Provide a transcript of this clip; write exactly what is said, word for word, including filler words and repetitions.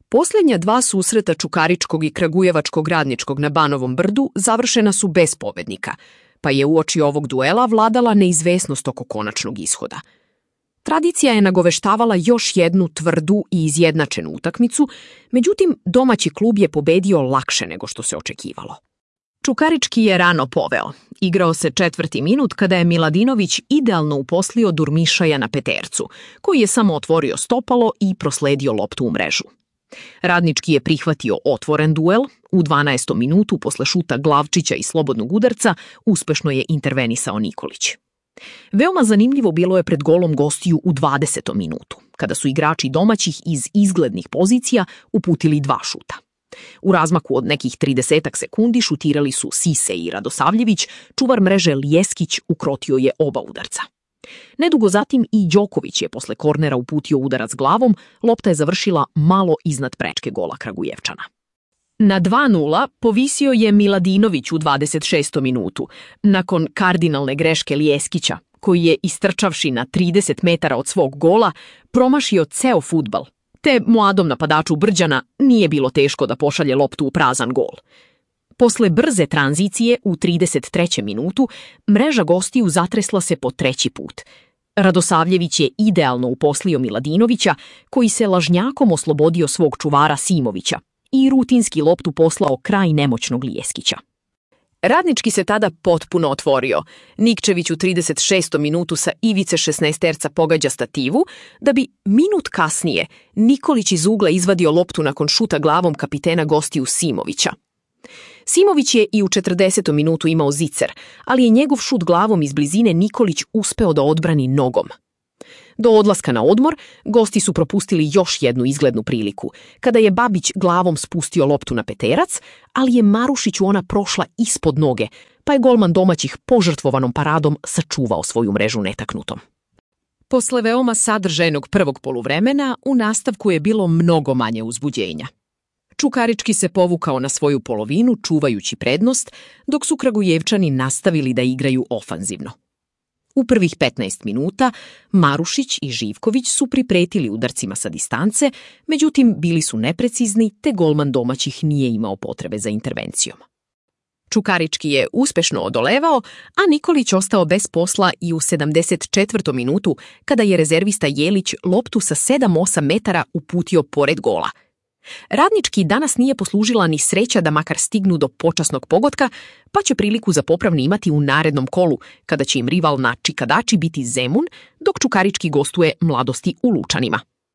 Posljednja dva susreta Čukaričkog i Kragujevačkog Radničkog na Banovom brdu završena su bez pobednika, pa je uoči ovog duela vladala neizvesnost oko konačnog ishoda. Tradicija je nagoveštavala još jednu tvrdu i izjednačenu utakmicu, međutim domaći klub je pobedio lakše nego što se očekivalo. Čukarički je rano poveo. Igrao se četvrti minut kada je Miladinović idealno uposlio Durmišaja na petercu, koji je samo otvorio stopalo i prosledio loptu u mrežu. Radnički je prihvatio otvoren duel, u dvanaestom minutu posle šuta Glavčića i slobodnog udarca uspešno je intervenisao Nikolić. Veoma zanimljivo bilo je pred golom gostiju u dvadesetom minutu, kada su igrači domaćih iz izglednih pozicija uputili dva šuta. U razmaku od nekih tridesetak sekundi šutirali su Sise i Radosavljević, čuvar mreže Ljeskić ukrotio je oba udarca. Nedugo zatim i Đoković je posle kornera uputio udarac glavom, lopta je završila malo iznad prečke gola Kragujevčana. Na dva nula povisio je Miladinović u dvadeset šestom minutu, nakon kardinalne greške Ljeskića, koji je istrčavši na trideset metara od svog gola promašio ceo fudbal, te mladom napadaču Brđana nije bilo teško da pošalje loptu u prazan gol. Posle brze tranzicije u trideset trećem minutu mreža gostiju zatresla se po treći put. Radosavljević je idealno uposlio Miladinovića, koji se lažnjakom oslobodio svog čuvara Simovića i rutinski loptu poslao kraj nemoćnog Ljeskića. Radnički se tada potpuno otvorio. Nikčević u trideset šestom minutu sa ivice šesnaesterca pogađa stativu, da bi minut kasnije Nikolić iz ugla izvadio loptu nakon šuta glavom kapitena gostiju Simovića. Simović je i u četrdesetom minutu imao zicer, ali je njegov šut glavom iz blizine Nikolić uspeo da odbrani nogom. Do odlaska na odmor, gosti su propustili još jednu izglednu priliku, kada je Babić glavom spustio loptu na peterac, ali je Marušiću ona prošla ispod noge, pa je golman domaćih požrtvovanom paradom sačuvao svoju mrežu netaknutom. Posle veoma sadržajnog prvog poluvremena, u nastavku je bilo mnogo manje uzbuđenja. Čukarički se povukao na svoju polovinu, čuvajući prednost, dok su Kragujevčani nastavili da igraju ofanzivno. U prvih petnaest minuta Marušić i Živković su pripretili udarcima sa distance, međutim bili su neprecizni te golman domaćih nije imao potrebe za intervencijom. Čukarički je uspešno odolevao, a Nikolić ostao bez posla i u sedamdeset četvrtom minutu kada je rezervista Jelić loptu sa sedam osam metara uputio pored gola. Radnički danas nije poslužila ni sreća da makar stignu do počasnog pogotka, pa će priliku za popravni imati u narednom kolu, kada će im rival na čikadači biti Zemun, dok Čukarički gostuje Mladosti u Lučanima.